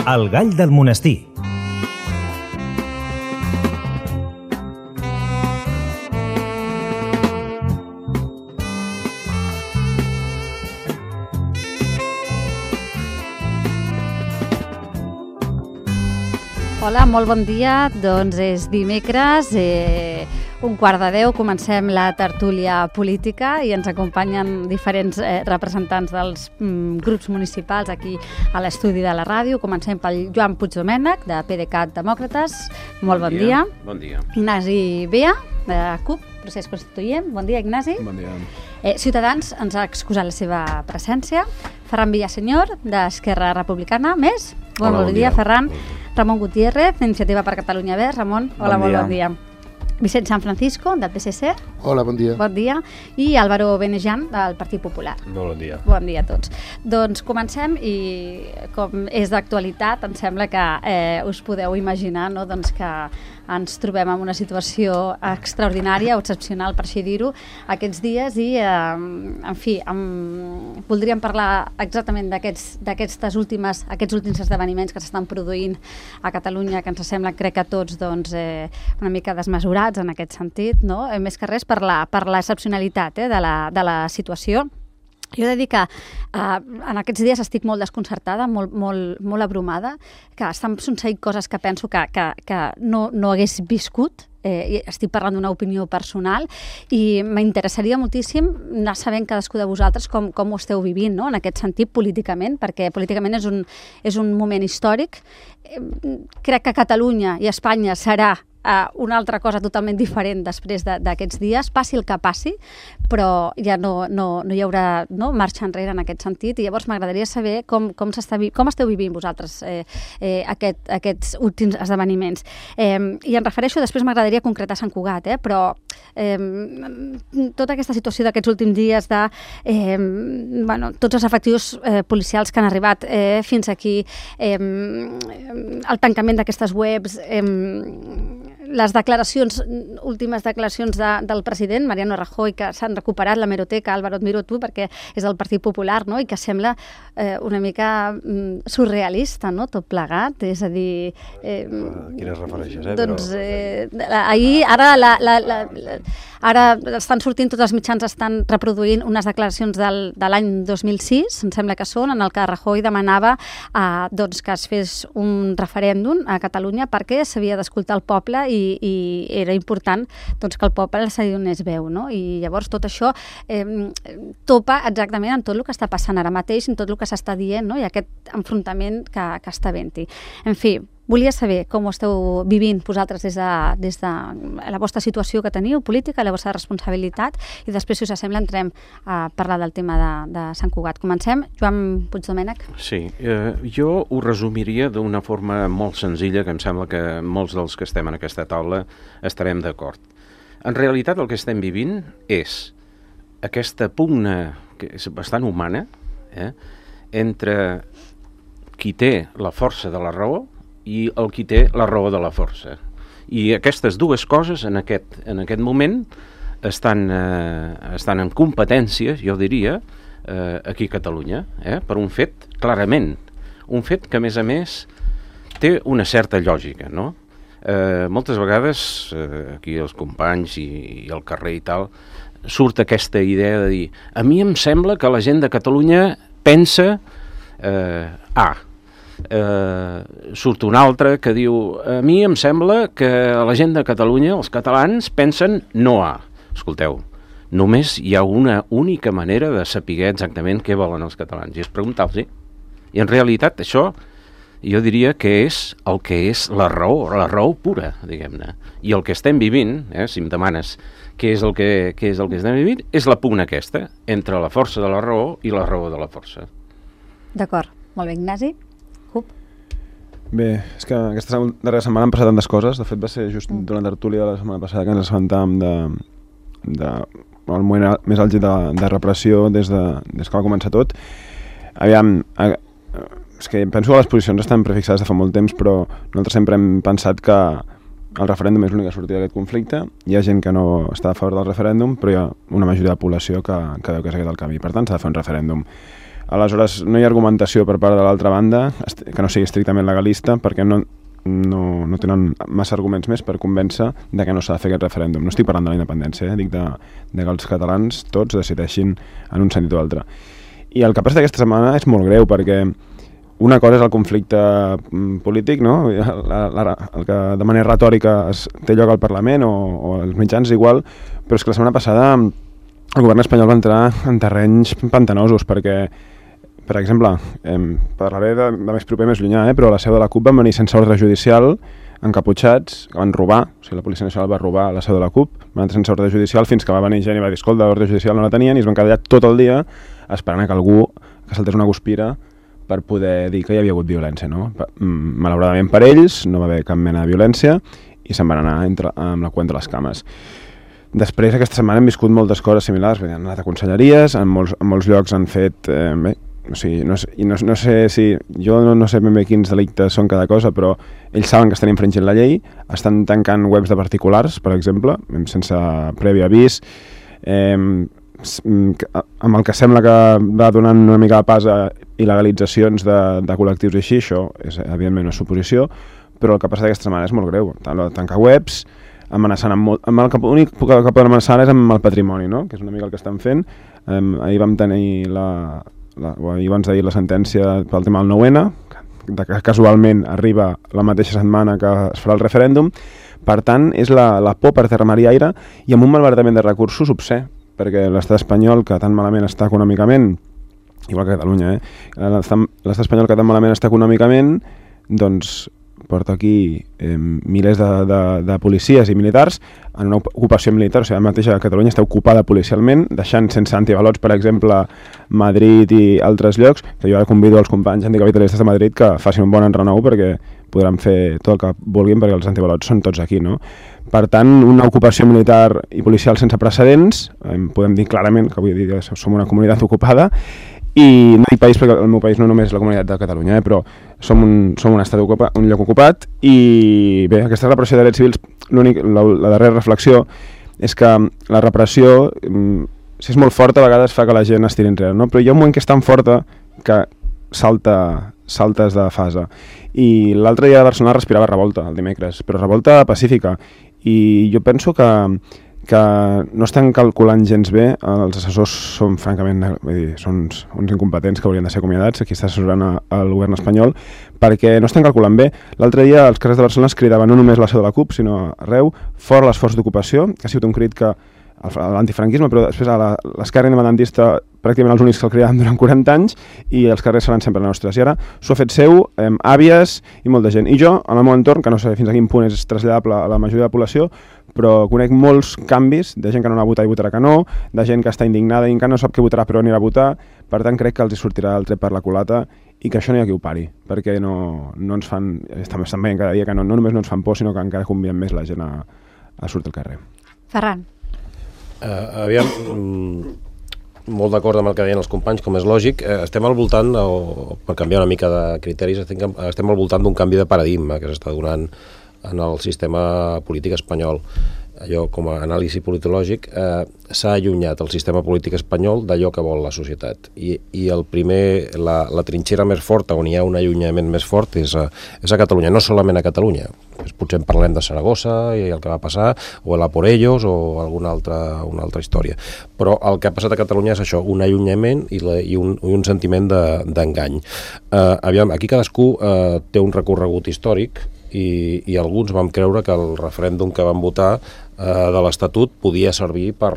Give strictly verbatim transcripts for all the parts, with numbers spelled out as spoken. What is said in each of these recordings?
El gall del monestir. Hola, molt bon dia. Doncs és dimecres, eh, un quart de deu, comencem la tertúlia política i ens acompanyen diferents eh, representants dels mm, grups municipals aquí a l'estudi de la ràdio. Comencem pel Joan Puigdomènech, de PDeCAT Demòcrates. Molt bon, bon dia. dia. Bon dia. Ignasi Bea, de CUP, Procés Constituent. Bon dia, Ignasi. Bon dia. Eh, Ciutadans ens ha excusat la seva presència. Ferran Villasenyor, d'Esquerra Republicana. Més? Bon, hola, bon, bon dia, dia, Ferran. Ramon Gutiérrez, d'Iniciativa per Catalunya Verds. Ramon, hola, bon, bon dia. Vicent San Francisco, del P S C. Hola, bon dia. Bon dia. I Álvaro Benejan, del Partit Popular. Bon dia. Bon dia a tots. Doncs comencem i, com és d'actualitat, em sembla que eh, us podeu imaginar, no?, doncs que ens trobem en una situació extraordinària o excepcional, per així dir-ho, aquests dies i, eh, en fi, em, voldríem parlar exactament d'aquestes últimes, aquests últims esdeveniments que s'estan produint a Catalunya, que ens sembla, crec que tots, doncs, eh, una mica desmesurats en aquest sentit, no? Eh, més que res per la, per l'excepcionalitat eh, de, la, de la situació. Jo he de dir que eh, en aquests dies estic molt desconcertada, molt, molt, molt abrumada, que estan succeint coses que penso que, que, que no, no hagués viscut. Eh, estic parlant d'una opinió personal i m'interessaria moltíssim anar sabent cadascú de vosaltres com, com ho esteu vivint, no?, en aquest sentit políticament, perquè políticament és un, és un moment històric. Eh, crec que Catalunya i Espanya serà Uh, una altra cosa totalment diferent després d'aquests de, dies, passi el que passi, però ja no, no, no hi haurà no, marxa enrere en aquest sentit, i llavors m'agradaria saber com, com, com esteu vivint vosaltres eh, eh, aquest, aquests últims esdeveniments. Eh, I em refereixo, després m'agradaria concretar Sant Cugat, eh, però eh, tota aquesta situació d'aquests últims dies de eh, bueno, tots els efectius eh, policials que han arribat eh, fins aquí, eh, el tancament d'aquestes webs, eh, les declaracions, últimes declaracions de, del president, Mariano Rajoy, que s'han recuperat l'hemeroteca, Álvaro, et miro tu, perquè és del Partit Popular, no?, i que sembla eh, una mica mm, surrealista, no?, tot plegat, és a dir... Eh, a quines refereixes, eh? Doncs, Però... eh, ahir, ara, la, la, la, la, ara estan sortint, tots els mitjans estan reproduint unes declaracions del, de l'any dos mil sis, em sembla que són, en el que Rajoy demanava eh, doncs, que es fes un referèndum a Catalunya perquè s'havia d'escoltar el poble i I, i era important doncs, que el poble se li donés veu, no? I llavors tot això eh, topa exactament amb tot el que està passant ara mateix, amb tot el que s'està dient, no?, i aquest enfrontament que, que està havent-hi. En fi, volia saber com ho esteu vivint vosaltres des de, des de la vostra situació que teniu, política, la vostra responsabilitat, i després, si us sembla, entrem a parlar del tema de, de Sant Cugat. Comencem. Joan Puigdomènech. Sí, eh, jo ho resumiria d'una forma molt senzilla, que em sembla que molts dels que estem en aquesta taula estarem d'acord. En realitat el que estem vivint és aquesta pugna, que és bastant humana, eh, entre qui té la força de la raó i el qui té la raó de la força. I aquestes dues coses en aquest, en aquest moment estan, eh, estan en competència, jo diria, eh, aquí a Catalunya, eh, per un fet, clarament, un fet que a més a més té una certa lògica, no? Eh, moltes vegades, eh, aquí els companys i, i al carrer i tal, surt aquesta idea de dir, a mi em sembla que la gent de Catalunya pensa eh, A. Eh, surt un altre que diu, a mi em sembla que la gent de Catalunya, els catalans, pensen no A. Escolteu, només hi ha una única manera de saber exactament què volen els catalans, i és preguntar-los. I en realitat això jo diria que és el que és la raó, la raó pura, diguem-ne. I el que estem vivint, eh, si em demanes què és el que, què és el que estem vivint, és la pugna aquesta, entre la força de la raó i la raó de la força. D'acord. Molt bé, Ignasi. Cup. Bé, és que aquesta darrera setmana han passat tantes coses. De fet, va ser just mm. durant la tertúlia de la setmana passada que ens assabentàvem de, de, el moment més àlgid de, de repressió des, de, des que va començar tot. Aviam, a, és que penso que les posicions estan prefixades de fa molt temps, però nosaltres sempre hem pensat que el referèndum és l'única sortida d'aquest conflicte. Hi ha gent que no està a favor del referèndum, però hi ha una majoria de població que, que veu que és aquest el camí. Per tant, s'ha de fer un referèndum. Aleshores, no hi ha argumentació per part de l'altra banda que no sigui estrictament legalista, perquè no, no, no tenen massa arguments més per convèncer de que no s'ha de fer aquest referèndum. No estic parlant de la independència, eh? Dic de, de que els catalans tots decideixin en un sentit o altre. I el que passa aquesta setmana és molt greu, perquè una cosa és el conflicte polític, no? La, la, el que de manera retòrica es té lloc al Parlament o, o als mitjans igual, però és que la setmana passada el govern espanyol va entrar en terrenys pantanosos, perquè, per exemple, eh, parlaré de, de més proper, més llunyà, eh, però a la seu de la CUP van venir sense ordre judicial, encaputxats, que van robar, o sigui, la Policia Nacional va robar a la seu de la CUP, van entrar sense ordre judicial fins que va venir gent i va dir, escolta, l'ordre judicial no la tenien, i es van quedar allà tot el dia esperant que algú que saltés una guspira per poder dir que hi havia hagut violència, no? Malauradament per ells no va haver cap mena de violència i se'n van anar entre, amb la cua entre les cames. Després, aquesta setmana hem viscut moltes coses similars, han anat a conselleries, en molts, en molts llocs han fet... Eh, bé, o sigui, no, i no, no sé si... Jo no, no sé ben bé quins delictes són cada cosa, però ells saben que estan infringint la llei, estan tancant webs de particulars, per exemple, sense previ avís, eh, amb el que sembla que va donant una mica de pas a il·legalitzacions de, de col·lectius i així, això és evidentment una suposició, però el que passa aquesta setmana és molt greu. Tancar webs, amenaçant amb molt... Amb el que, l'únic que poden amenaçar és amb el patrimoni, no? Que és una mica el que estan fent. Um, ahir vam tenir la... la ahir abans d'ahir la sentència pel tema del nou ene, que casualment arriba la mateixa setmana que es farà el referèndum. Per tant, és la, la por per terra, mar i aire, i amb un malbaratament de recursos obscè, perquè l'estat espanyol, que tan malament està econòmicament, igual que Catalunya, eh? l'estat espanyol que tan malament està econòmicament, doncs porta aquí eh, milers de, de, de policies i militars en una ocupació militar, o sigui, mateix a Catalunya està ocupada policialment, deixant sense antivalots, per exemple, Madrid i altres llocs, que jo ara convido els companys anticapitalistes de Madrid que facin un bon enrenou perquè podran fer tot el que vulguin perquè els antivalots són tots aquí, no? Per tant, una ocupació militar i policial sense precedents, eh, podem dir clarament que vull dir que som una comunitat ocupada, i no dic país perquè el meu país no només és la comunitat de Catalunya, eh, però som un, som un estat ocupat, un lloc ocupat, i bé, aquesta repressió de drets civils, l'únic, la, la darrera reflexió és que la repressió, si és molt forta, a vegades fa que la gent es tiri enrere, no? Però hi ha un moment que és tan forta que salta, saltes de fase. I l'altre dia de Barcelona respirava revolta, el dimecres, però revolta pacífica, i jo penso que que no estan calculant gens bé, els assessors són francament, vull dir, són uns, uns incompetents que haurien de ser acomiadats, aquí està assessorant el govern espanyol, perquè no estan calculant bé. L'altre dia els carrers de Barcelona es cridaven no només la seu de la CUP, sinó arreu, fora l'esforç d'ocupació, que ha sigut un crit que l'antifranquisme, però després a l'esquerra independentista pràcticament els únics que el cridaven durant quaranta anys, i els carrers seran sempre nostres. I ara s'ho ha fet seu, eh, àvies i molta gent. I jo, en el meu entorn, que no sé fins a quin punt és traslladable a la majoria de la població, però conec molts canvis de gent que no anà a votar i votarà que no, de gent que està indignada i encara no sap què votarà però anirà a votar. Per tant, crec que els hi sortirà el tret per la culata i que això no hi ha qui ho pari, perquè no, no ens fan, estan veient cada dia que no, no només no ens fan por, sinó que encara conviden més la gent a, a sortir al carrer. Ferran. Uh, aviam, mm, molt d'acord amb el que deien els companys, com és lògic. Uh, estem al voltant, o, per canviar una mica de criteris, estem, estem al voltant d'un canvi de paradigma que s'està donant en el sistema polític espanyol. Allò, com a anàlisi politològic, eh, s'ha allunyat el sistema polític espanyol d'allò que vol la societat. I, i el primer, la, la trinxera més forta, on hi ha un allunyament més fort, és a, és a Catalunya, no solament a Catalunya. Potser en parlem de Saragossa i el que va passar, o el a por ellos, o alguna altra, una altra història. Però el que ha passat a Catalunya és això, un allunyament i, la, i, un, i un sentiment d'engany. De, eh, aviam, aquí cadascú eh, té un recorregut històric, i, i alguns vam creure que el referèndum que van votar eh, de l'Estatut podia servir per,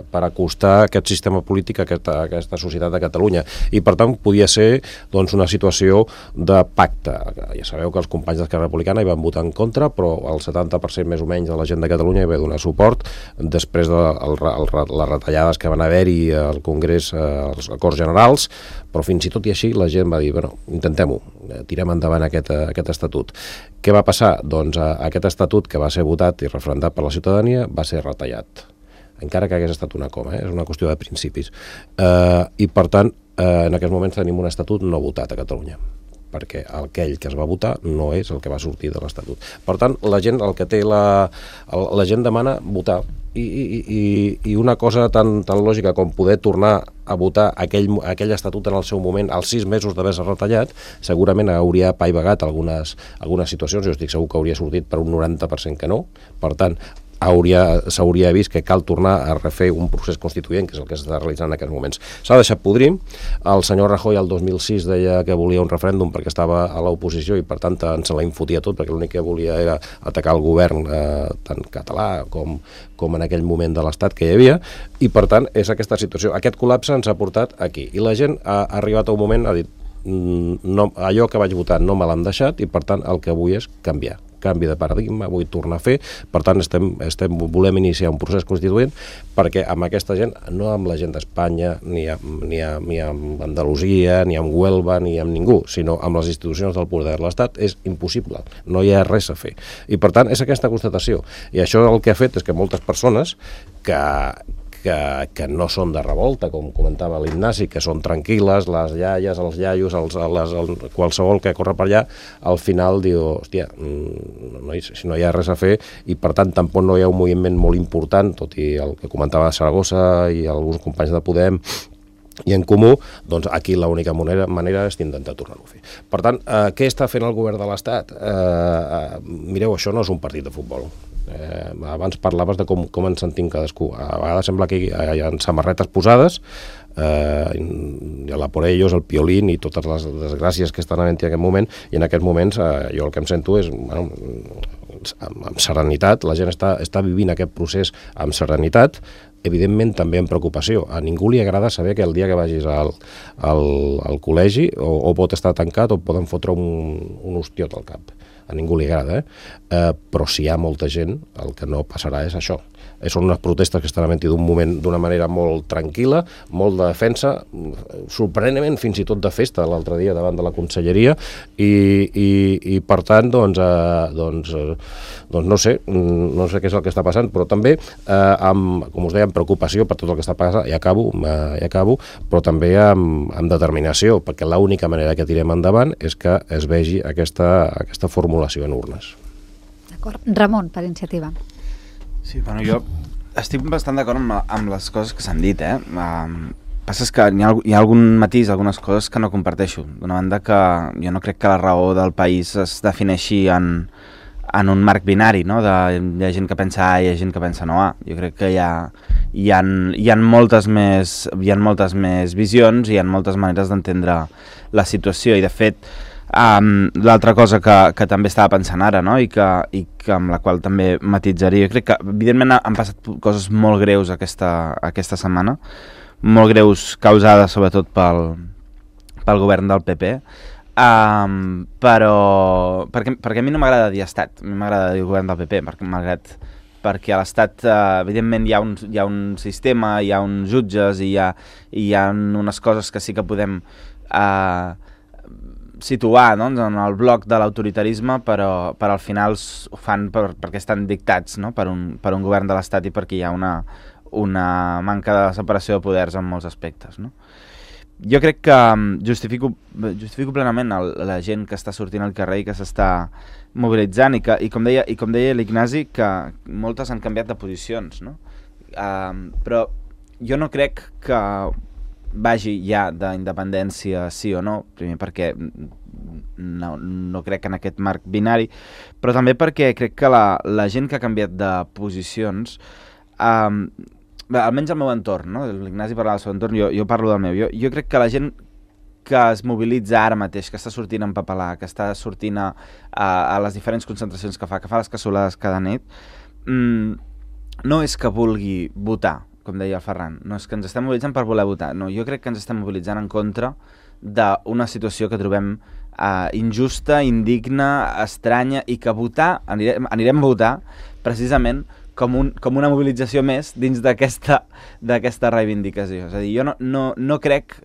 per acostar aquest sistema polític a aquesta, a aquesta societat de Catalunya, i per tant podia ser doncs, una situació de pacte. Ja sabeu que els companys d'Esquerra Republicana hi van votar en contra, però el setanta per cent més o menys de la gent de Catalunya hi va donar suport després de el, el, les retallades que van haver-hi al Congrés, als Acords Generals, però fins i tot i així la gent va dir, bueno, intentem-ho, tirem endavant aquest, aquest estatut. Què va passar? Doncs aquest estatut que va ser votat i referendat per la ciutadania va ser retallat, encara que hagués estat una coma, eh? És una qüestió de principis. Eh, I per tant, eh, en aquests moments tenim un estatut no votat a Catalunya, perquè aquell que es va votar no és el que va sortir de l'Estatut. Per tant, la gent el que té la, la gent demana votar i, i, i una cosa tan, tan lògica com poder tornar a votar aquell, aquell estatut en el seu moment, als sis mesos d'haver-se retallat, segurament hauria apaivagat algunes, algunes situacions. Jo estic segur que hauria sortit per un noranta per cent que no. Per tant, s'hauria vist que cal tornar a refer un procés constituent, que és el que s'està realitzant en aquests moments. S'ha deixat podrir. El senyor Rajoy el dos mil sis deia que volia un referèndum perquè estava a l'oposició i per tant ens la infotia tot, perquè l'únic que volia era atacar el govern eh, tant català com, com en aquell moment de l'Estat que hi havia, i per tant és aquesta situació. Aquest col·lapse ens ha portat aquí i la gent ha arribat a un moment, ha dit no, allò que vaig votar no me l'han deixat i per tant el que vull és canviar canvi de paradigma, vull tornar a fer. Per tant, estem, estem, volem iniciar un procés constituent perquè amb aquesta gent, no amb la gent d'Espanya, ni, ni, ni amb Andalusia, ni amb Huelva, ni amb ningú, sinó amb les institucions del poder de l'Estat, és impossible. No hi ha res a fer. I per tant, és aquesta constatació. I això el que ha fet és que moltes persones que... Que, que no són de revolta, com comentava l'Ignasi, que són tranquil·les, les iaies, els iaios, els, les, el, qualsevol que corre per allà, al final diu, hòstia, no, si no hi ha res a fer, i per tant tampoc no hi ha un moviment molt important, tot i el que comentava Saragossa i alguns companys de Podem, i en Comú, doncs aquí l'única manera, manera és intentar tornar-ho a fer. Per tant, eh, què està fent el govern de l'Estat? Eh, eh, mireu, això no és un partit de futbol. Eh, abans parlaves de com, com ens sentim cadascú. A vegades sembla que hi ha samarretes posades, eh, la por ellos, el piolín i totes les desgràcies que estan havent en aquest moment, i en aquests moments eh, jo el que em sento és, bueno, amb, amb serenitat, la gent està, està vivint aquest procés amb serenitat, evidentment també amb preocupació. A ningú li agrada saber que el dia que vagis al, al, al col·legi o, o pot estar tancat o poden fotre un, un hostiot al cap. A ningú li agrada, eh? eh? Però si hi ha molta gent, el que no passarà és això. Són unes protestes que estan havent d'un moment d'una manera molt tranquil·la, molt de defensa, sorprenentment fins i tot de festa l'altre dia davant de la conselleria, i, i, i per tant, doncs, eh, doncs, eh, doncs no sé, no sé què és el que està passant, però també, eh, amb, com us deia, amb preocupació per tot el que està passant, i acabo, eh, i acabo, però també amb, amb determinació, perquè l'única manera que tirem endavant és que es vegi aquesta, aquesta formulació en urnes. D'acord. Ramon, per iniciativa. Sí, bueno, jo estic bastant d'acord amb, amb les coses que s'han dit, eh? Um, passa és que hi ha, hi ha algun matís, algunes coses que no comparteixo. D'una banda que jo no crec que la raó del país es defineixi en, en un marc binari, no? De, hi ha gent que pensa A i hi ha gent que pensa no A. Jo crec que hi ha, hi ha, hi ha, moltes, més, hi ha moltes més visions i hi ha moltes maneres d'entendre la situació, i de fet Um, l'altra cosa que, que també estava pensant ara, no? I, que, i que amb la qual també matitzaria, jo crec que evidentment han passat coses molt greus aquesta, aquesta setmana, molt greus causades sobretot pel, pel govern del P P, um, però perquè, perquè a mi no m'agrada dir estat, a mi m'agrada dir govern del P P, perquè, malgrat, perquè a l'estat uh, evidentment hi ha, un, hi ha un sistema, hi ha uns jutges i hi ha, hi ha unes coses que sí que podem uh, situar, no? En el bloc de l'autoritarisme, però, però al final ho fan per, perquè estan dictats, no? per, un, per un govern de l'Estat i perquè hi ha una, una manca de separació de poders en molts aspectes. No? Jo crec que justifico, justifico plenament el, la gent que està sortint al carrer i que s'està mobilitzant i, que, i com deia, i com deia l'Ignasi, que moltes han canviat de posicions, no? Uh, però jo no crec que vagi ja d'independència sí o no, primer perquè no, no crec en aquest marc binari, però també perquè crec que la, la gent que ha canviat de posicions, um, bé, almenys al meu entorn, no? L'Ignasi parlava del seu entorn, jo, jo parlo del meu, jo, jo crec que la gent que es mobilitza ara mateix, que està sortint en papalà, que està sortint a, a, a les diferents concentracions que fa, que fa les cassolades cada nit, mmm, no és que vulgui votar, com deia el Ferran, no és que ens estem mobilitzant per voler votar, no, jo crec que ens estem mobilitzant en contra d'una situació que trobem uh, injusta, indigna, estranya, i que votar, anirem, anirem a votar precisament com, un, com una mobilització més dins d'aquesta d'aquesta reivindicació. És a dir, jo no, no, no crec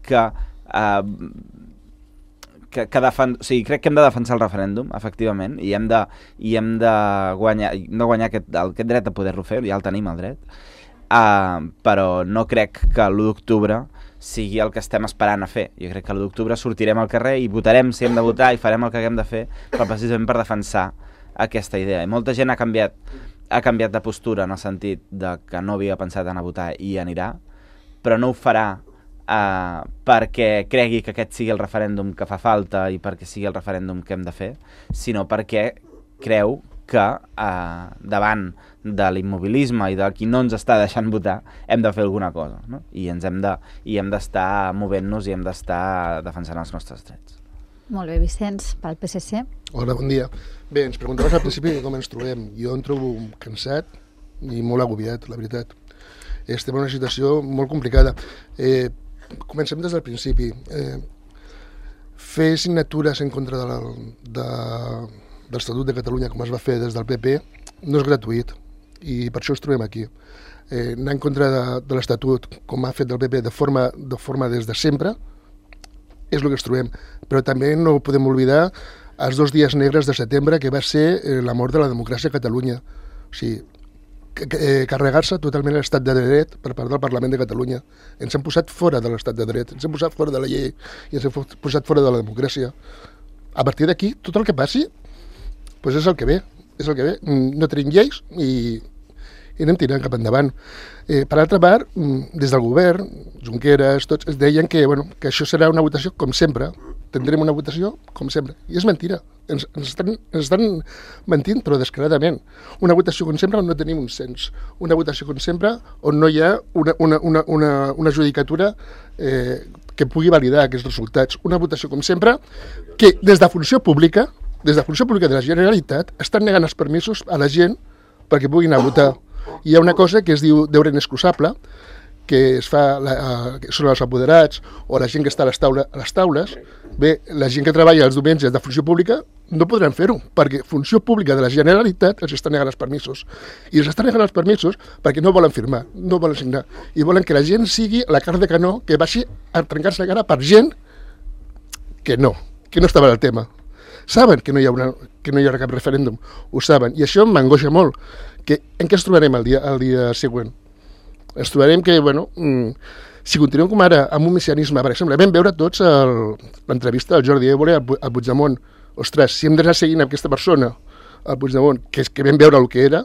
que, uh, que, que defen... o sigui, crec que hem de defensar el referèndum, efectivament, i hem de, i hem de guanyar, hem de guanyar aquest, aquest dret a poder-lo fer, ja el tenim, el dret. Uh, però no crec que l'u d'octubre sigui el que estem esperant a fer. Jo crec que l'u d'octubre sortirem al carrer i votarem si hem de votar i farem el que haguem de fer, però precisament per defensar aquesta idea. I molta gent ha canviat ha canviat de postura en el sentit de que no havia pensat en a votar i anirà, però no ho farà uh, perquè cregui que aquest sigui el referèndum que fa falta i perquè sigui el referèndum que hem de fer, sinó perquè creu que uh, davant de l'immobilisme i de qui no ens està deixant votar hem de fer alguna cosa, no? I ens hem de, i hem d'estar movent-nos i hem d'estar defensant els nostres drets. Molt bé, Vicenç, pel P S C. Hola, bon dia. Bé, ens preguntaves al principi com ens trobem. Jo em trobo cansat i molt agobiat, la veritat. Estem en una situació molt complicada. Eh, comencem des del principi. Eh, fer signatures en contra de la, de, de l'Estatut de Catalunya, com es va fer des del P P, no és gratuït, i per això ens trobem aquí. Eh, anar en contra de, de l'Estatut, com ha fet el P P de forma, de forma des de sempre, és el que ens trobem. Però també no podem oblidar els dos dies negres de setembre, que va ser eh, la mort de la democràcia a Catalunya. O sigui, eh, carregar-se totalment l'estat de dret per part del Parlament de Catalunya. Ens han posat fora de l'estat de dret, ens han posat fora de la llei i ens han posat fora de la democràcia. A partir d'aquí, tot el que passi, doncs és el que ve, és el que ve. No tenim lleis i, i anem tirant cap endavant. Eh, per altra part, des del govern, Junqueras, tots es deien que, bueno, que això serà una votació com sempre, tindrem una votació com sempre. I és mentira. Ens, ens, estan, ens estan mentint, però descaradament. Una votació com sempre on no tenim un cens. Una votació com sempre on no hi ha una, una, una, una, una judicatura eh, que pugui validar aquests resultats. Una votació com sempre que des de funció pública, des de funció pública de la Generalitat, estan negant els permisos a la gent perquè puguin anar a votar. Hi ha una cosa que es diu deure inexcusable, que es fa la, uh, que són els apoderats o la gent que està a les, taula, a les taules. Bé, la gent que treballa els diumenges de funció pública no podran fer-ho, perquè funció pública de la Generalitat els està negant els permisos. I els està negant els permisos perquè no volen firmar, no volen signar. I volen que la gent sigui la carn de canó, que vagi a trencar-se la cara per gent que no, que no estava en el tema. Saben que no hi haurà, que no hi haurà cap referèndum, ho saben. I això m'angoixa molt. Que, en què ens trobarem el dia, el dia següent? Ens trobarem que, bueno, mmm, si continuem com ara amb un messianisme, per exemple, vam veure tots l'entrevista del Jordi Évole al Puigdemont. Ostres, si hem d'anar seguint aquesta persona, al Puigdemont, que, és que vam veure el que era,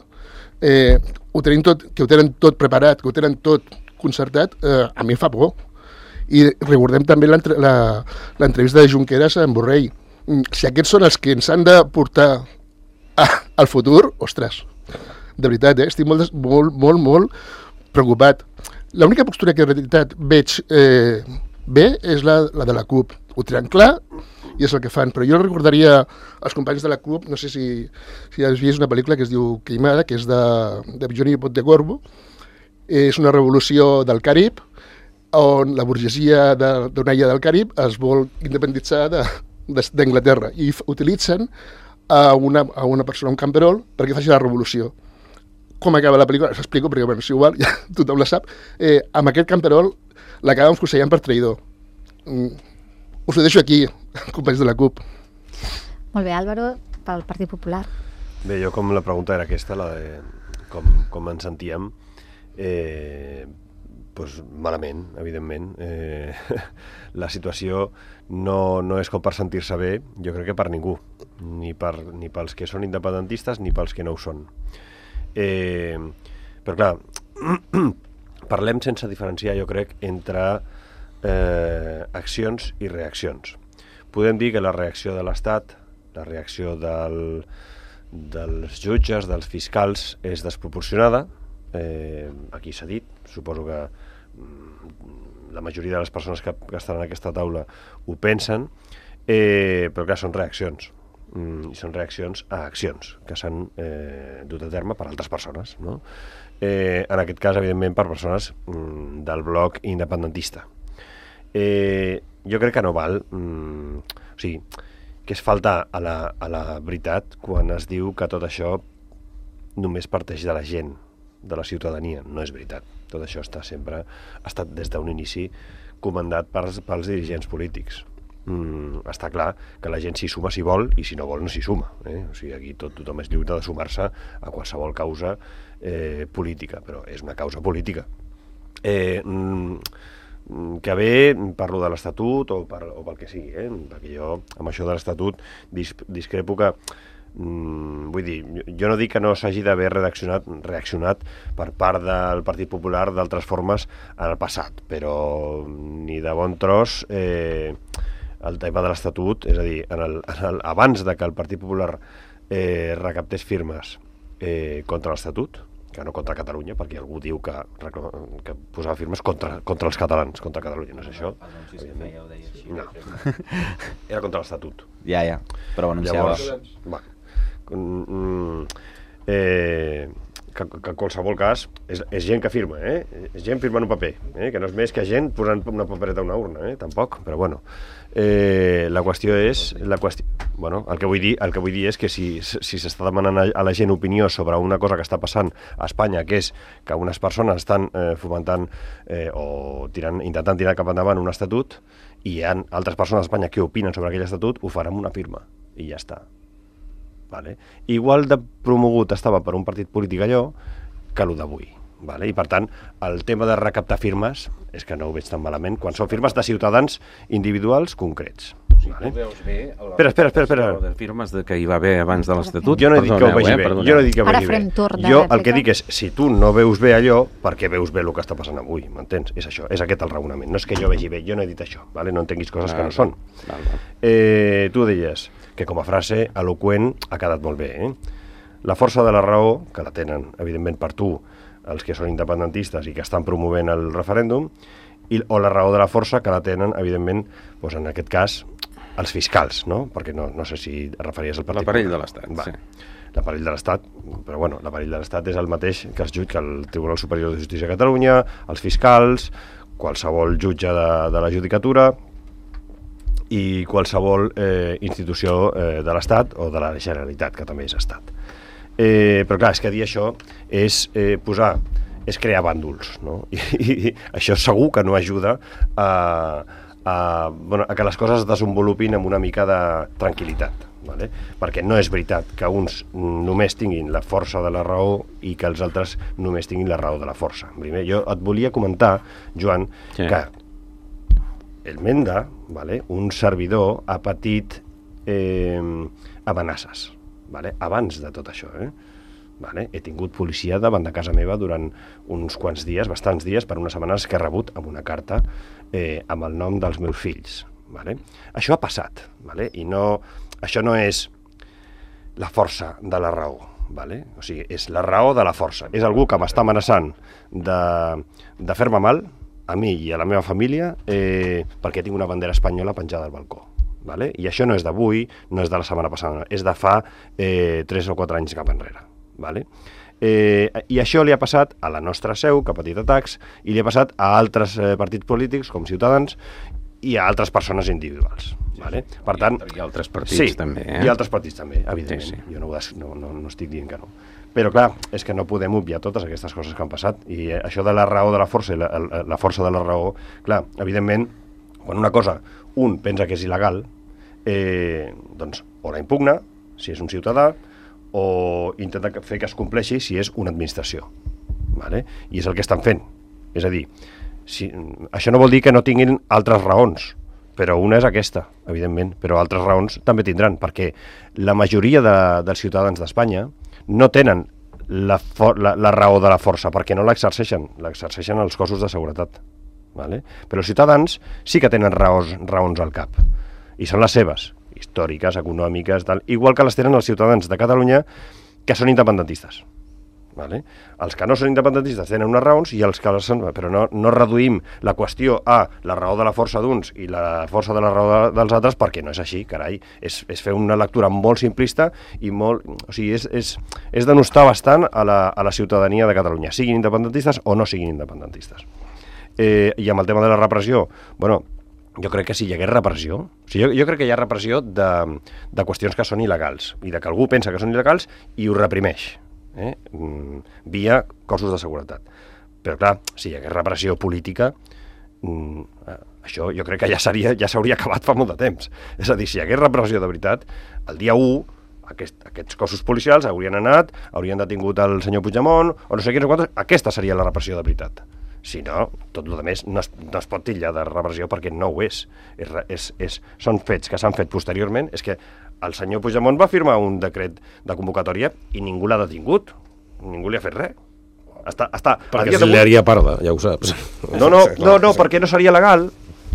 eh, ho tenim tot, que ho tenen tot preparat, que ho tenen tot concertat, eh, a mi em fa por. I recordem també l'entrevista de Junqueras amb Borrell. Si aquests són els que ens han de portar a, al futur, ostres, de veritat, eh? Estic molt, molt, molt, molt preocupat. L'única postura que en realitat veig eh, bé és la, la de la CUP. Ho tenen clar i és el que fan. Però jo recordaria als companys de la CUP, no sé si, si has vist una pel·lícula que es diu Queimada, que és de, de Johnny Pontecorvo. És una revolució del Carib, on la burgesia d'una illa del Carib es vol independitzar de, d'Anglaterra i utilitzen a una, a una persona, un camperol, perquè faci la revolució. Com acaba la pel·lícula? S'explico, perquè bueno, si igual ja tothom la sap. Eh, amb aquest camperol l'acaben fusellant per traïdor. Mm. Us ho deixo aquí, companys de la CUP. Molt bé, Álvaro, pel Partit Popular. Bé, jo com la pregunta era aquesta, la de com, com ens sentíem, eh, pues malament, evidentment. Eh, la situació no, no és com per sentir-se bé, jo crec que per ningú, ni, per, ni pels que són independentistes ni pels que no ho són. Eh, però clar, parlem sense diferenciar, jo crec, entre eh, accions i reaccions. Podem dir que la reacció de l'Estat, la reacció del, dels jutges, dels fiscals, és desproporcionada. Eh, aquí s'ha dit, suposo que la majoria de les persones que, que estan en aquesta taula ho pensen, eh, però clar, són reaccions. Mm, i són reaccions a accions que s'han eh, dut a terme per altres persones, no? Eh, en aquest cas, evidentment, per persones mm, del bloc independentista. Eh, jo crec que no val, mm, o sigui, que és faltar a la, a la veritat quan es diu que tot això només parteix de la gent, de la ciutadania. No és veritat. Tot això està sempre, ha estat des d'un inici comandat pels, pels dirigents polítics. Mm, està clar que la gent s'hi suma si vol i si no vol no s'hi suma, eh? O sigui, aquí tot, tothom és lliure de sumar-se a qualsevol causa eh, política, però és una causa política. Eh, mm, que bé, parlo de l'Estatut o, per, o pel que sigui, eh? Perquè jo amb això de l'Estatut dis, discrepo que Mm, vull dir, jo no dic que no s'hagi d'haver reaccionat, reaccionat per part del Partit Popular d'altres formes en el passat, però ni de bon tros eh, el tema de l'Estatut, és a dir, en el, en el, abans de que el Partit Popular eh, recaptés firmes eh, contra l'Estatut, que no contra Catalunya, perquè algú diu que, que posava firmes contra, contra els catalans, contra Catalunya, no és això? No, era contra l'Estatut. Ja, ja, però anunciava. Llavors, va, mm, eh, que, que en qualsevol cas és, és gent que firma, eh? És gent firmant un paper, eh? Que no és més que gent posant una papereta a una urna, eh? Tampoc, però bueno. Eh, la qüestió és la qüestió, bueno, el que vull dir, el que vull dir és que si si s'està demanant a la gent opinió sobre una cosa que està passant a Espanya, que és que unes persones estan eh, fomentant eh, o tirant, intentant tirar cap endavant un estatut, i hi ha altres persones a Espanya que opinen sobre aquell estatut, ho faran amb una firma i ja està. Vale? Igual de promogut estava per un partit polític allò que el d'avui. Vale? I per tant, el tema de recaptar firmes és que no ho veig tan malament quan són firmes de ciutadans individuals concrets. Vale? Tu veus bé el espera, espera, espera, espera. de firmes de que hi va haver abans de l'Estatut? Jo no he dit que ho vegi bé. Jo no he dit que ho Ara vegi bé. farem torn de Jo el que rèplica. dic és, si tu no veus bé allò, per què veus bé el que està passant avui? M'entens? És això, és aquest el raonament. No és que jo vegi bé, jo no he dit això, vale? No entenguis coses que no són. Val, val. Eh, tu deies que com a frase eloqüent ha quedat molt bé. Eh? La força de la raó, que la tenen, evidentment, per tu, els que són independentistes i que estan promovent el referèndum, i, o la raó de la força, que la tenen, evidentment, doncs en aquest cas, els fiscals, no? Perquè no, no sé si et referies al partit. L'aparell de l'Estat, Va. sí. L'aparell de l'Estat, però bueno, l'aparell de l'Estat és el mateix que els jutge el Tribunal Superior de Justícia de Catalunya, els fiscals, qualsevol jutge de, de la judicatura i qualsevol eh, institució eh, de l'Estat o de la Generalitat, que també és Estat. Eh, però clar, és que dir això és eh, posar, és crear bàndols, no? I, i, i això segur que no ajuda a, a, bueno, a que les coses es desenvolupin amb una mica de tranquil·litat, vale? Perquè no és veritat que uns només tinguin la força de la raó i que els altres només tinguin la raó de la força. Primer, jo et volia comentar, Joan, sí. que el Menda, vale, un servidor, ha patit eh, amenaces. Vale? Abans de tot això, eh? Vale? He tingut policia davant de casa meva durant uns quants dies, bastants dies, per unes setmanes que he rebut amb una carta eh, amb el nom dels meus fills. Vale? Això ha passat, vale? I no, això no és la força de la raó, vale? O sigui, és la raó de la força. És algú que m'està amenaçant de, de fer-me mal, a mi i a la meva família, eh, perquè tinc una bandera espanyola penjada al balcó. Vale? I això no és d'avui, no és de la setmana passada, és de fa eh, tres o quatre anys cap enrere. Vale? Eh, I això li ha passat a la nostra seu, que ha patit atacs, i li ha passat a altres eh, partits polítics, com Ciutadans, i a altres persones individuals. Vale? Per tant, I altres partits sí, també. Eh? I altres partits també, evidentment. Sí, sí. Jo no, no, no, no estic dient que no. Però clar, és que no podem obviar totes aquestes coses que han passat. I eh, això de la raó de la força i la, la, la força de la raó, clar, evidentment, quan una cosa un pensa que és il·legal, eh, doncs o la impugna, si és un ciutadà, o intenta fer que es compleixi si és una administració. Vale? I és el que estan fent. És a dir, si, això no vol dir que no tinguin altres raons, però una és aquesta, evidentment, però altres raons també tindran, perquè la majoria de, dels ciutadans d'Espanya no tenen la, for, la, la raó de la força, perquè no l'exerceixen, l'exerceixen els cossos de seguretat. Vale? Però els ciutadans sí que tenen raons, raons al cap, i són les seves, històriques, econòmiques, tal, igual que les tenen els ciutadans de Catalunya que són independentistes. Vale? Els que no són independentistes tenen unes raons, i els que són, però no, no reduïm la qüestió a la raó de la força d'uns i la força de la raó de, dels altres, perquè no és així, carai. És, és fer una lectura molt simplista i molt... O sigui, és, és, és denostar bastant a la, a la ciutadania de Catalunya, siguin independentistes o no siguin independentistes. Eh, I amb el tema de la repressió, bueno, jo crec que si hi hagués repressió, o sigui, jo, jo crec que hi ha repressió de, de qüestions que són il·legals, i de que algú pensa que són il·legals i ho reprimeix, eh? mm, via cossos de seguretat. Però clar, si hi hagués repressió política, mm, això jo crec que ja seria, ja s'hauria acabat fa molt de temps. És a dir, si hi hagués repressió de veritat, el dia u, aquest, aquests cossos policials haurien anat, haurien detingut el senyor Puigdemont, o no sé quins o quantos, aquesta seria la repressió de veritat. Si no, tot el que no es, no es pot titllar de repressió perquè no ho és. és, és, és són fets que s'han fet posteriorment. És que el senyor Puigdemont va firmar un decret de convocatòria i ningú l'ha detingut, ningú li ha fet res. Està, està, perquè se li haria parda, ja ho saps. No, no, no, no, perquè no seria legal,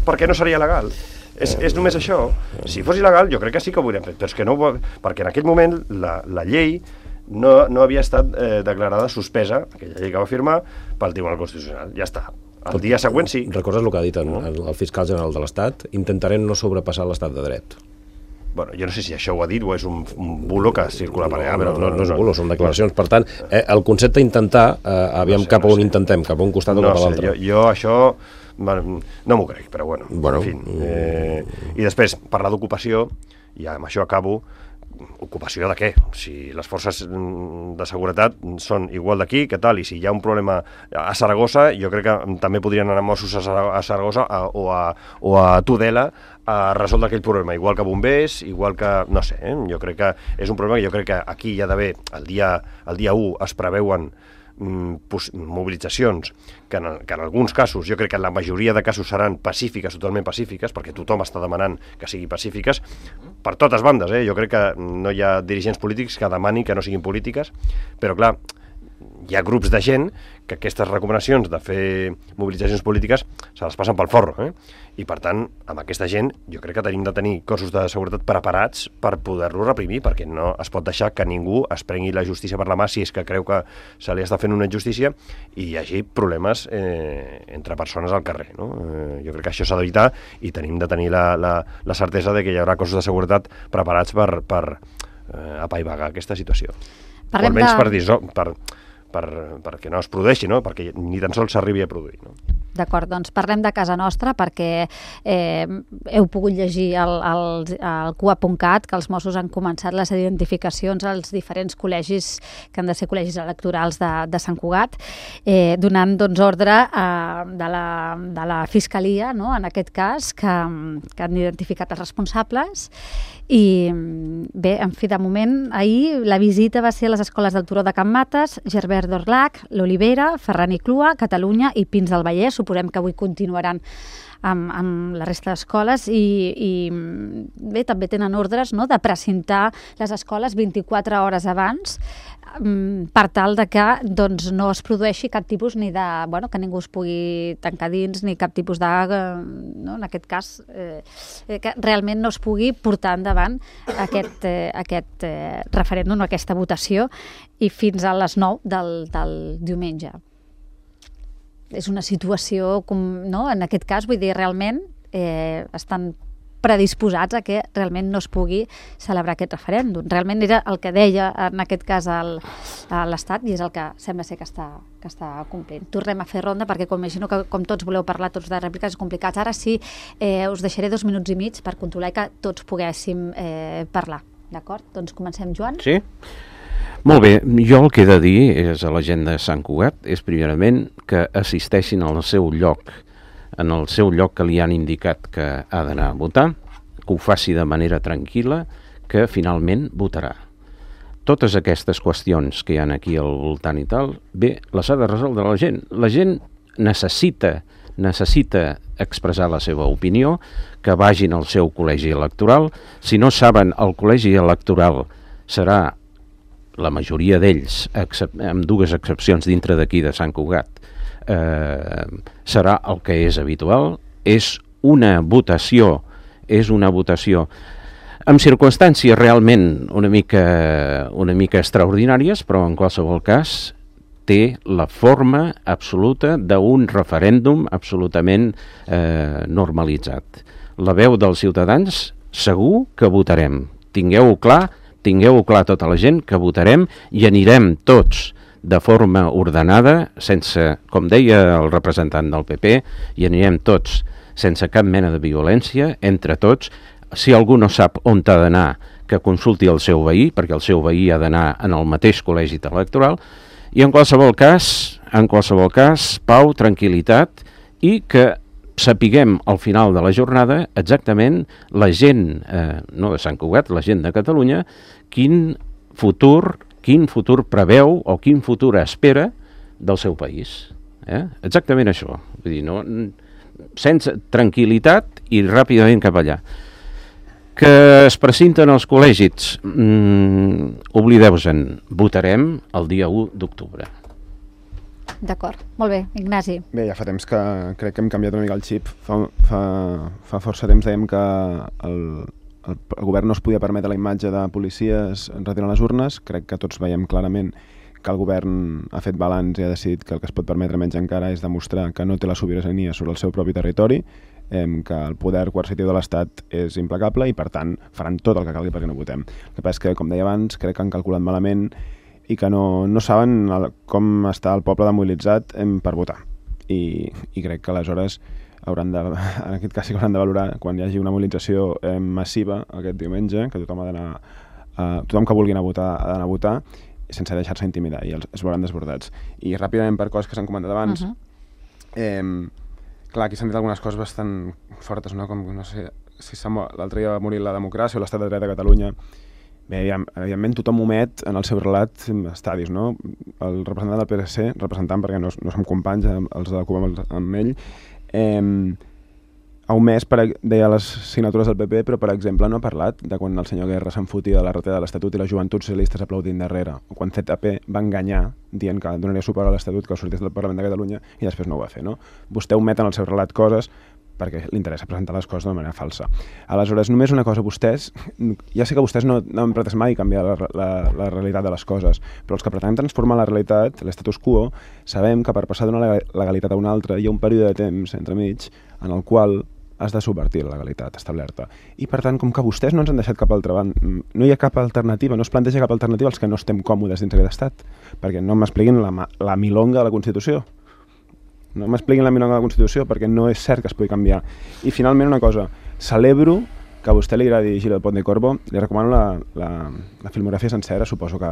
perquè no seria legal. És, és només això. Si fos il·legal, jo crec que sí que ho hauríem fet, però és que no, perquè en aquell moment la, la llei no, no havia estat eh, declarada suspesa, aquella llei que va firmar, pel Tribunal Constitucional. Ja està. El dia següent sí. Recordes el que ha dit el, el fiscal general de l'Estat? Intentarem no sobrepassar l'estat de dret. Bueno, jo no sé si això ho ha dit o és un, un bulo que circula per allà, no, però... No, no, no és bulo, són declaracions. Per tant, eh, el concepte intentar, eh, aviam no sé, cap a on no sé. intentem, cap a un costat o no cap a sé, l'altre. Jo, jo això no m'ho crec, però bueno, bueno en fi. Eh, I després, parlar d'ocupació, i amb això acabo, ocupació de què? Si les forces de seguretat són igual d'aquí, què tal? I si hi ha un problema a Saragossa, jo crec que també podrien anar Mossos a Saragossa a, o, a, o a Tudela a resoldre aquell problema, igual que bombers, igual que... no sé, eh? Jo crec que és un problema que jo crec que aquí hi ha d'haver, el dia, el dia u es preveuen mobilitzacions que en, que en alguns casos, jo crec que en la majoria de casos seran pacífiques, totalment pacífiques, perquè tothom està demanant que siguin pacífiques, per totes bandes, eh? Jo crec que no hi ha dirigents polítics que demanin que no siguin polítiques, però clar, hi ha grups de gent que aquestes recomanacions de fer mobilitzacions polítiques se les passen pel forro, eh? I per tant, amb aquesta gent jo crec que tenim de tenir cossos de seguretat preparats per poder-lo reprimir, perquè no es pot deixar que ningú es prengui la justícia per la mà si és que creu que se li està fent una injustícia i hi hagi problemes eh, entre persones al carrer, no? Eh, jo crec que això s'ha d'evitar i tenim de tenir la, la, la certesa de que hi haurà cossos de seguretat preparats per, per eh, apaivagar aquesta situació. Parlem o almenys de... per dir-ho, per... Per, perquè no es produeixi, no? Perquè ni tan sols s'arribi a produir. No? D'acord, doncs parlem de casa nostra perquè eh, heu pogut llegir al, al, al C U A punt cat que els Mossos han començat les identificacions als diferents col·legis que han de ser col·legis electorals de, de Sant Cugat, eh, donant doncs, ordre eh, de, la, de la Fiscalia, no? En aquest cas, que, que han identificat els responsables. I bé, en fi, de moment, ahir la visita va ser a les escoles del Turó de Can Mates, Gerbert d'Orlac, l'Olivera, Ferran i Clua, Catalunya i Pins del Vallès. Suposem que avui continuaran amb, amb la resta d'escoles i, i bé, també tenen ordres, no?, de precintar les escoles vint-i-quatre hores abans per tal de que doncs, no es produeixi cap tipus ni de... Bueno, que ningú es pugui tancar dins ni cap tipus de... No? En aquest cas, eh, que realment no es pugui portar endavant aquest, eh, aquest eh, referèndum, aquesta votació, i fins a les nou del, del diumenge. És una situació, com, no? En aquest cas, vull dir, realment eh, estan predisposats a que realment no es pugui celebrar aquest referèndum. Realment era el que deia en aquest cas el, l'Estat i és el que sembla ser que està, que està complint. Tornem a fer ronda perquè com imagino que com tots voleu parlar tots de rèpliques complicats, ara sí eh, us deixaré dos minuts i mig per controlar que tots poguéssim eh, parlar. D'acord? Doncs comencem, Joan. Sí. Molt bé, jo el que he de dir és a la gent de Sant Cugat és primerament que assisteixin al seu lloc en el seu lloc que li han indicat que ha d'anar a votar, que ho faci de manera tranquil·la, que finalment votarà. Totes aquestes qüestions que hi ha aquí al voltant i tal, bé, les ha de resoldre la gent. La gent necessita, necessita expressar la seva opinió, que vagin al seu col·legi electoral. Si no saben, el col·legi electoral serà la majoria d'ells, amb dues excepcions dintre d'aquí de Sant Cugat, Eh, serà el que és habitual, és una votació, és una votació amb circumstàncies realment una mica, una mica extraordinàries, però en qualsevol cas té la forma absoluta d'un referèndum absolutament eh, normalitzat. La veu dels ciutadans segur que votarem. Tingueu-ho clar, tingueu-ho clar tota la gent, que votarem i anirem tots de forma ordenada, sense, com deia el representant del P P, i anirem tots sense cap mena de violència, entre tots. Si algú no sap on ha d'anar, que consulti el seu veí, perquè el seu veí ha d'anar en el mateix col·legi electoral, i en qualsevol cas, en qualsevol cas, pau, tranquil·litat, i que sapiguem al final de la jornada exactament la gent, eh, no de Sant Cugat, la gent de Catalunya, quin futur quin futur preveu o quin futur espera del seu país. Eh? Exactament això. Vull dir, no, sense tranquil·litat i ràpidament cap allà. Que es presenten els col·legis, mm, oblideu-se'n, votarem el dia u d'octubre. D'acord, molt bé, Ignasi. Bé, ja fa temps que crec que hem canviat una mica el xip. Fa, fa, fa força temps dèiem que el, el, el govern no es podia permetre la imatge de policies retirant les urnes. Crec que tots veiem clarament que el govern ha fet balanç i ha decidit que el que es pot permetre menys encara és demostrar que no té la sobirania sobre el seu propi territori, eh, que el poder coercitiu de l'Estat és implacable i, per tant, faran tot el que calgui perquè no votem. El que passa és que, com deia abans, crec que han calculat malament i que no, no saben el, com està el poble demobilitzat eh, per votar. I, I crec que aleshores hauran de, en aquest cas sí que hauran de valorar quan hi hagi una mobilització eh, massiva aquest diumenge, que tothom ha d'anar, eh, tothom que vulgui anar a votar ha d'anar a votar sense deixar-se intimidar i els, es veuran desbordats. I ràpidament per coses que s'han comentat abans, uh -huh. eh, clar, aquí s'han dit algunes coses bastant fortes, no? Com, no sé, si l'altre dia va morir la democràcia o l'estat de dret a Catalunya. Bé, evidentment tothom omet en el seu relat estadis, no? El representant del P S C, representant perquè no, no som companys, els de la Cuba amb, amb ell, eh, ha omès, per, deia les signatures del P P, però per exemple no ha parlat de quan el senyor Guerra s'enfotia de la retallada de l'Estatut i les joventuts socialistes aplaudint darrere, o quan Z P va enganyar dient que donaria suport a l'Estatut que sortís del Parlament de Catalunya i després no ho va fer, no? Vostè omet en el seu relat coses perquè li interessa presentar les coses d'una manera falsa. Aleshores, només una cosa, vostès, ja sé que vostès no, no han pretès mai canviar la, la, la realitat de les coses, però els que pretenem transformar la realitat, l'estatus quo, sabem que per passar d'una legalitat a una altra hi ha un període de temps entremig en el qual has de subvertir la legalitat establerta. I per tant, com que vostès no ens han deixat cap altra banda, no hi ha cap alternativa, no es planteja cap alternativa als que no estem còmodes dins aquest estat, perquè no m'expliquin la, la milonga de la Constitució. No m'expliquin la milonga de la Constitució perquè no és cert que es pugui canviar. I finalment una cosa, celebro que a vostè li agradi Gil del Pont de Corbo, li recomano la, la, la filmografia sencera, suposo que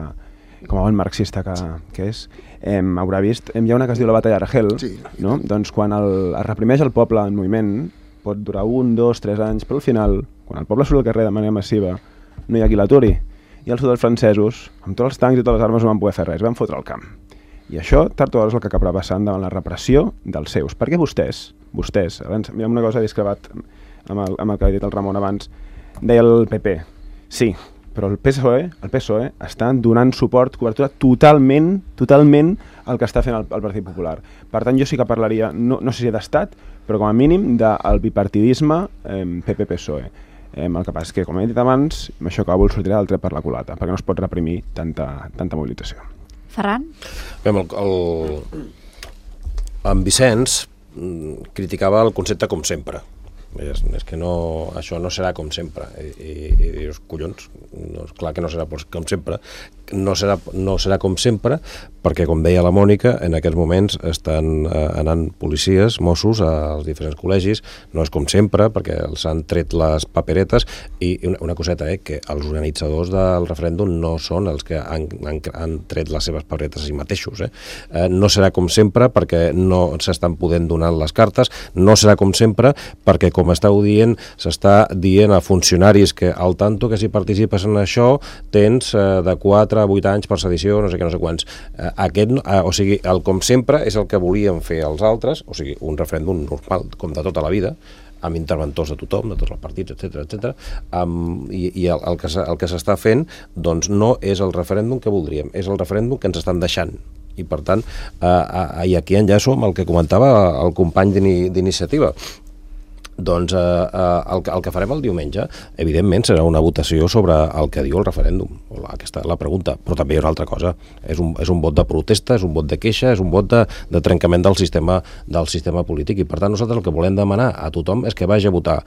com a bon marxista que, que és, eh, haurà vist, eh, hi ha una que es diu La batalla d'Argel, sí, no? Doncs quan el, es reprimeix el poble en moviment, pot durar un, dos, tres anys, però al final, quan el poble surt al carrer de manera massiva, no hi ha qui l'aturi. I els soldats francesos, amb tots els tancs i totes les armes, no van poder fer res, van fotre al camp. I això, tard o d'hora, és el que acabarà passant davant la repressió dels seus. Perquè vostès, vostès, abans, mira una cosa, he discrepat amb el, amb el que ha dit el Ramon abans, deia el P P, sí, però el P S O E, el P S O E està donant suport, cobertura totalment, totalment al que està fent el, el Partit Popular. Per tant, jo sí que parlaria, no, no sé si d'estat, però com a mínim del bipartidisme eh, P P P S O E. Eh, el que passa és que, com he dit abans, amb això acabo sortirà del tret per la culata, perquè no es pot reprimir tanta, tanta mobilització. Ferran? Bé, el, el, en Vicenç criticava el concepte com sempre. És, és que no, això no serà com sempre. I, i, i dius, collons, no, és clar que no serà com sempre. No serà, no serà com sempre perquè, com deia la Mònica, en aquests moments estan eh, anant policies, Mossos, als diferents col·legis. No és com sempre perquè els han tret les paperetes i una, una coseta, eh, que els organitzadors del referèndum no són els que han, han, han tret les seves paperetes a si mateixos. Eh? Eh, no serà com sempre perquè no s'estan podent donar les cartes, no serà com sempre perquè, com esteu dient, s'està dient a funcionaris que al tanto que si participes en això tens eh, de quatre a vuit anys per sedició, no sé què, no sé quants. Eh, aquest, eh, o sigui, el com sempre és el que volien fer els altres, o sigui, un referèndum normal, com de tota la vida, amb interventors de tothom, de tots els partits, etcètera, etcètera, um, i, i el, el que el que s'està fent, doncs no és el referèndum que voldríem, és el referèndum que ens estan deixant. I per tant, eh, eh, i aquí enllaço amb el que comentava el company d'iniciativa. Doncs eh, eh, el, el que farem el diumenge, evidentment, serà una votació sobre el que diu el referèndum, o la, aquesta, la pregunta, però també hi ha una altra cosa. És un, és un vot de protesta, és un vot de queixa, és un vot de, de trencament del sistema, del sistema polític, i per tant nosaltres el que volem demanar a tothom és que vagi a votar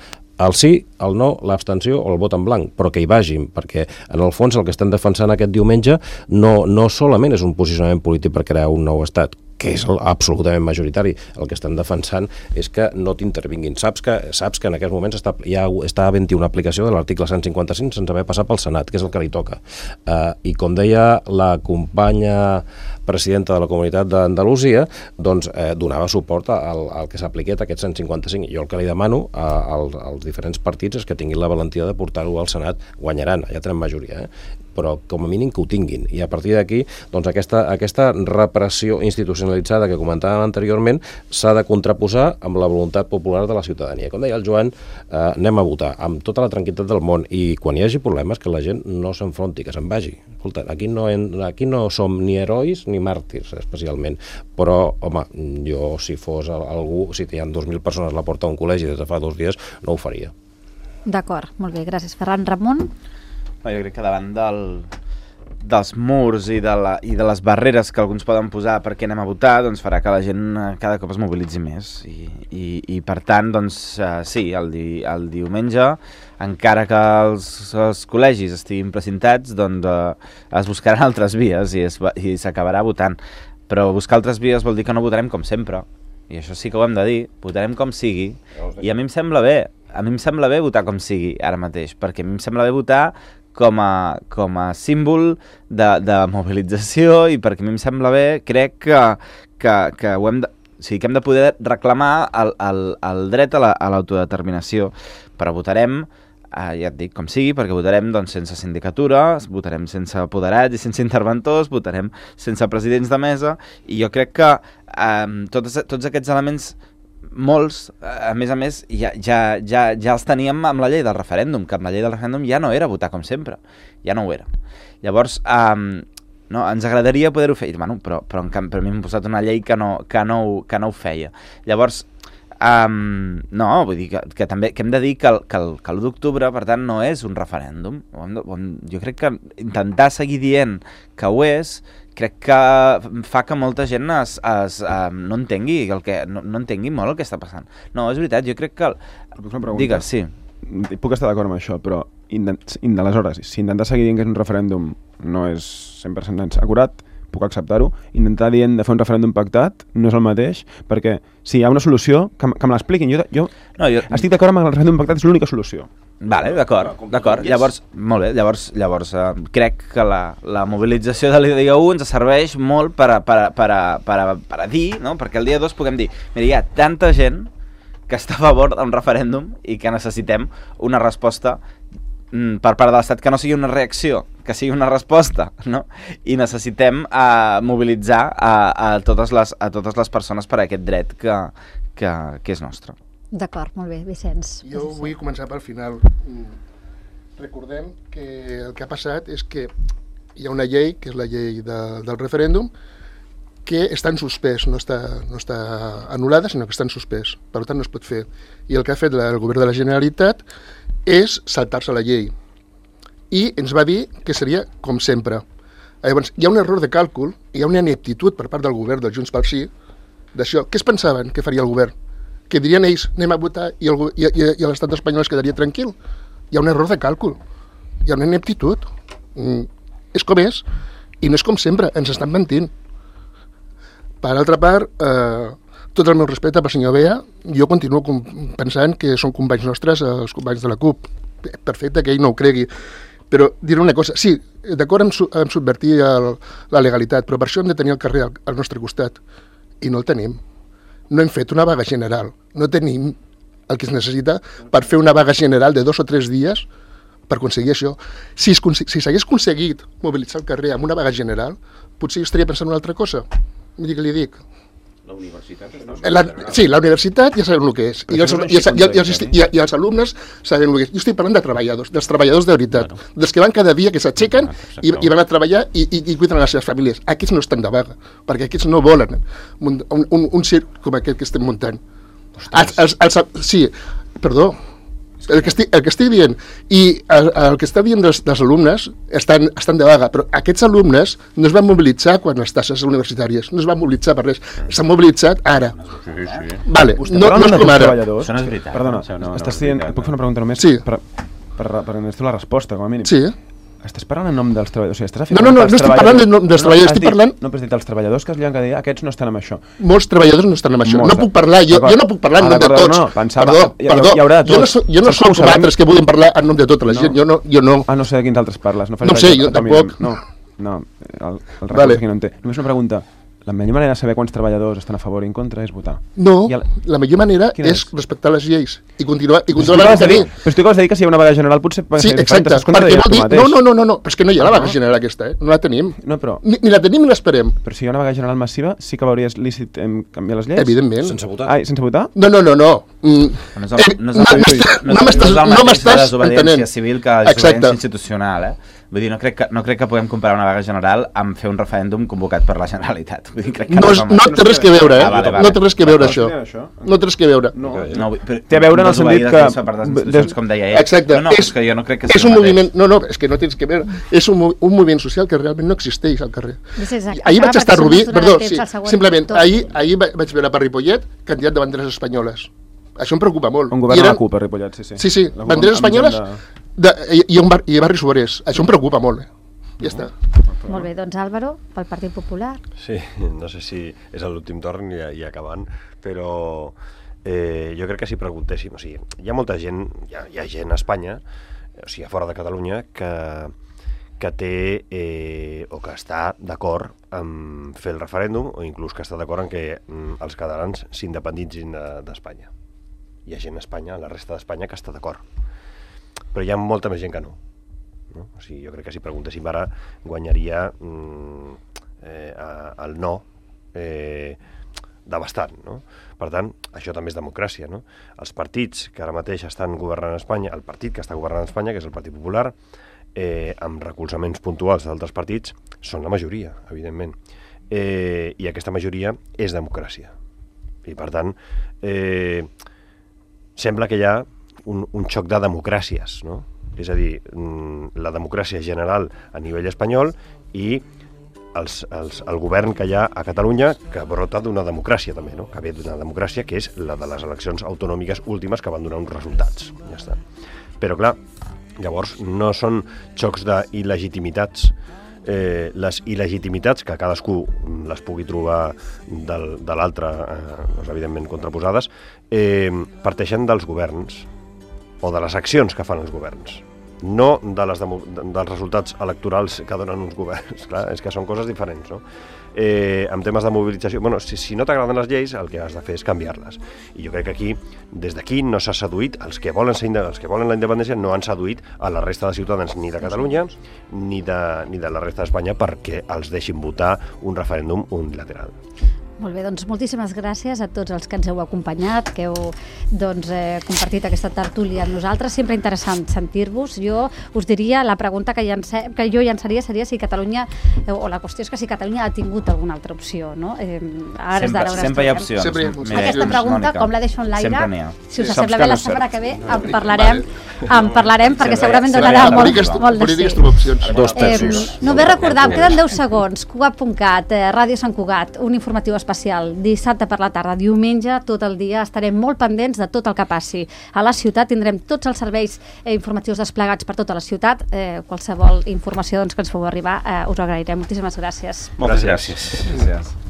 el sí, el no, l'abstenció o el vot en blanc, però que hi vagin, perquè en el fons el que estem defensant aquest diumenge no, no solament és un posicionament polític per crear un nou estat, que és absolutament majoritari. El que estem defensant és que no t'intervinguin. Saps que, saps que en aquests moments està, ja està havent-hi una aplicació de l'article cent cinquanta-cinc sense haver passat pel Senat, que és el que li toca. Uh, I com deia la companya presidenta de la Comunitat d'Andalusia, doncs eh, donava suport al, al que s'apliqués aquest cent cinquanta-cinc. Jo el que li demano a, a, als diferents partits és que tinguin la valentia de portar-ho al Senat. Guanyaran, ja tenen majoria, eh? però com a mínim que ho tinguin. I a partir d'aquí, doncs aquesta, aquesta repressió institucionalitzada que comentàvem anteriorment s'ha de contraposar amb la voluntat popular de la ciutadania. Com deia el Joan, eh, anem a votar amb tota la tranquil·litat del món i quan hi hagi problemes que la gent no s'enfronti, que se'n vagi. Escolta, aquí no, en, aquí no som ni herois ni màrtirs, especialment, però, home, jo si fos algú, si hi ha dos mil persones a la porta d'un col·legi des de fa dos dies, no ho faria. D'acord, molt bé, gràcies. Ferran. Ramon? No, jo crec que davant del, dels murs i de, la, i de les barreres que alguns poden posar perquè anem a votar, doncs farà que la gent cada cop es mobilitzi més. I, i, i per tant, doncs, uh, sí, el, di, el diumenge, encara que els, els col·legis estiguin precintats, doncs uh, es buscaran altres vies i, es, i s'acabarà votant. Però buscar altres vies vol dir que no votarem com sempre. I això sí que ho hem de dir, votarem com sigui. I a mi em sembla bé, a mi em sembla bé votar com sigui ara mateix, perquè a mi em sembla bé votar com a, com a símbol de, de mobilització i perquè a mi em sembla bé, crec que, que, que, ho hem de, o sigui, que hem de poder reclamar el, el, el dret a l'autodeterminació. Però votarem, eh, ja et dic, com sigui, perquè votarem doncs, sense sindicatura, votarem sense apoderats i sense interventors, votarem sense presidents de mesa, i jo crec que eh, tots, tots aquests elements, molts, a més a més, ja, ja, ja, ja els teníem amb la llei del referèndum, que amb la llei del referèndum ja no era votar com sempre, ja no ho era. Llavors, um, no, ens agradaria poder-ho fer, bueno, però, però, en canvi, per mi m'han posat una llei que no, que no, que no ho feia. Llavors, um, no, vull dir que, que també que hem de dir que el, que el, que l'u d'octubre, per tant, no és un referèndum. Jo crec que intentar seguir dient que ho és, crec que fa que molta gent es, es, um, no entengui el que, no, no entengui molt el que està passant. No, és veritat, jo crec que... El... Digues, sí. Puc estar d'acord amb això, però aleshores, si intentar seguir dient que és un referèndum no és cent per cent acurat, puc acceptar-ho. Intentar dient de fer un referèndum pactat no és el mateix, perquè si hi ha una solució, que, que me l'expliquin. Jo, jo, no, jo estic d'acord amb el referèndum pactat, és l'única solució. Vale, d'acord, d'acord. Llavors, molt bé, llavors, llavors eh, crec que la, la mobilització de l'I D U ens serveix molt per a, per a, per a, per a, per a dir, no? Perquè el dia dos puguem dir, mira, hi ha tanta gent que està a favor d'un referèndum i que necessitem una resposta mm, per part de l'Estat que no sigui una reacció, que sigui una resposta, no? I necessitem eh, mobilitzar a, a, totes les, a totes les persones per a aquest dret que, que, que és nostre. D'acord, molt bé, Vicenç. Jo vull començar pel final. Recordem que el que ha passat és que hi ha una llei, que és la llei de, del referèndum, que està en suspès, no està, no està anul·lada, sinó que està en suspès. Per tant, no es pot fer. I el que ha fet el govern de la Generalitat és saltar-se la llei. I ens va dir que seria com sempre. Llavors, hi ha un error de càlcul, hi ha una ineptitud per part del govern del Junts pel Sí, d'això. Què es pensaven que faria el govern? Que dirien ells, anem a votar i, el, i, i, i l'estat espanyol es quedaria tranquil. Hi ha un error de càlcul, hi ha una ineptitud. Mm, és com és, i no és com sempre, ens estan mentint. Per altra part, eh, tot el meu respecte pel senyor Bea, jo continuo pensant que són companys nostres, els companys de la CUP. Perfecte que ell no ho cregui. Però diré una cosa, sí, d'acord amb, su amb subvertir el, la legalitat, però per això hem de tenir el carrer al, al nostre costat. I no el tenim. No hem fet una vaga general, no tenim el que es necessita per fer una vaga general de dos o tres dies per aconseguir això. Si s'hagués si aconseguit mobilitzar el carrer amb una vaga general, potser jo estaria pensant en una altra cosa. Miri què li dic. La universitat? La, sí, la universitat ja sabem el que és. I els, i, els, i, els, i, i els alumnes sabem el que és. Jo estic parlant de treballadors, dels treballadors de veritat, bueno. dels que van cada dia, que s'aixequen i, i van a treballar i, i, i cuiden les seves famílies. Aquests no estan de vaga, perquè aquests no volen un, un, un circ com aquest que estem muntant. Els, els, els, sí, perdó, el que estic, el que estic dient, i el, el que està dient dels, dels alumnes estan, estan de vaga, però aquests alumnes no es van mobilitzar quan les tasses universitàries, no es van mobilitzar per res, s'han mobilitzat ara. Sí, sí. Vale, no, no és com ara. Això no és veritat. Perdona, no, no, estàs dient, et puc fer una pregunta només? Sí. Per, per, per, per necessito la resposta, com a mínim. Sí. Estàs parlant en nom dels treballadors? O sigui, estàs no, no, no, no estic parlant de, dels treballadors, estic parlant... No, però has dit els treballadors que es llevan cada dia, aquests no estan amb això. Molts treballadors no estan amb això. Molts, no puc parlar, jo, jo no puc parlar en nom de tots. No, pensava, perdó, hi, perdó, hi haurà de tots. Jo no, jo no soc com altres que volen parlar en nom de tota la gent, jo no, jo no. Ah, no sé de quins altres parles. No, no sé, jo tampoc. No, no, el, el vale. Aquí no en té. Només una pregunta. La millor manera de saber quants treballadors estan a favor i en contra és votar. No, el... la millor manera és, és respectar les lleis. i continuar i continuar Però tu mantenir. acabes de dir que si hi ha una vaga general potser Sí, exacte, perquè vol dir... No, no, no, no, no, però és que no hi ha la vaga general aquesta, eh? No la tenim. No, però... Ni, ni la tenim ni l'esperem. Però si hi ha una vaga general massiva, sí que veuries lícit em, canviar les lleis? Evidentment. Sense votar. Ai, sense votar? No, no, no, no. Mm. No és el, no és el, No no m'estàs- és- no no m'estàs- és el no mateix m'estàs la desobediència entenent. civil que la Exacte. desobediència institucional, eh? Vull dir, no crec, que, no crec que puguem comparar una vaga general amb fer un referèndum convocat per la Generalitat. Vull dir, crec que No, és, és el no mateix. té res que veure, eh? Ah, vale, vale. No té res que veure, No això. té això. No té res que veure. No. No, però, Té a veure en el desobeir sentit les que- lleis per part de les institucions, des- com deia ell. Exacte. No, no, és, que jo no crec que és sigui un el mateix. moviment... No, no, és que no tens que veure. És un, mo- un moviment social que realment no existeix al carrer. És exacte. Ahir vaig Perquè estar a això Rubí... ens donarà Perdó, temps sí, al següent simplement, torn. ahir, ahir va- vaig veure per Ripollet candidat de banderes espanyoles. Això em preocupa molt. On I governa eren- la CUP a Ripollet, sí, sí. Sí, sí, La CUP banderes amb gent espanyoles de- de, i, i, un bar, i barris obrers. Això em preocupa molt. Eh? Ja està. Molt bé, doncs Álvaro, pel Partit Popular. Sí, no sé si és l'últim torn i, i acabant, però eh, jo crec que si preguntéssim, o sigui, hi ha molta gent, hi ha, hi ha gent a Espanya, o sigui, a fora de Catalunya, que, que té eh, o que està d'acord en fer el referèndum o inclús que està d'acord en que mm, els catalans s'independitzin de- d'Espanya. Hi ha gent a Espanya, a la resta d'Espanya, que està d'acord. Però hi ha molta més gent que no. No? O sigui, jo crec que si preguntéssim ara guanyaria mm, eh, a- el no eh, de bastant, no? Per tant, això també és democràcia, no? Els partits que ara mateix estan governant Espanya, el partit que està governant Espanya, que és el Partit Popular, eh, amb recolzaments puntuals d'altres partits, són la majoria, evidentment. Eh, I aquesta majoria és democràcia. I per tant, eh, sembla que hi ha un, un xoc de democràcies, no? És a dir, mm, la democràcia general a nivell espanyol i els, els, el govern que hi ha a Catalunya, que brota d'una democràcia també, no? Que ve d'una democràcia que és la de les eleccions autonòmiques últimes que van donar uns resultats. Ja està. Però clar, llavors no són xocs d'il·legitimitats. Eh, les il·legitimitats, que cadascú les pugui trobar del, de l'altre, eh, doncs, evidentment contraposades, eh, parteixen dels governs o de les accions que fan els governs, no de les demo, de, dels resultats electorals que donen uns governs. Clar, és que són coses diferents, no? Eh, en temes de mobilització, bueno, si, si no t'agraden les lleis, el que has de fer és canviar-les. I jo crec que aquí, des d'aquí, no s'ha seduït, els que volen ser, els que volen la independència no han seduït a la resta de ciutadans ni de Catalunya ni de, ni de la resta d'Espanya perquè els deixin votar un referèndum unilateral. Molt bé, doncs moltíssimes gràcies a tots els que ens heu acompanyat, que heu doncs, eh, compartit aquesta tertúlia amb nosaltres. Sempre interessant sentir-vos. Jo us diria, la pregunta que, llance, que jo llançaria seria si Catalunya, eh, o la qüestió és que si Catalunya ha tingut alguna altra opció, no? Eh, ara Sempre, d'ara on sempre hi ha estem. opcions. Sempre hi ha opcions. Mireia, Aquesta pregunta, Mònica. com la deixo en l'aire, Sempre n'hi ha. si us Saps sembla que bé, no la és setmana cert. que ve en parlarem, en parlarem perquè Sempre- segurament sempre donarà hi ha molt, polítiques, molt de polítiques sí. trobar opcions. Dos Eh, terços. només recordar, em queden deu segons, Cugat punt cat, eh, Ràdio Sant Cugat, un informatiu especial, dissabte per la tarda, diumenge, tot el dia, estarem molt pendents de tot el que passi. A la ciutat tindrem tots els serveis eh, informatius desplegats per tota la ciutat, eh, qualsevol informació doncs, que ens feu arribar, eh, us ho agrairem. Moltíssimes gràcies. Moltes gràcies. Gràcies.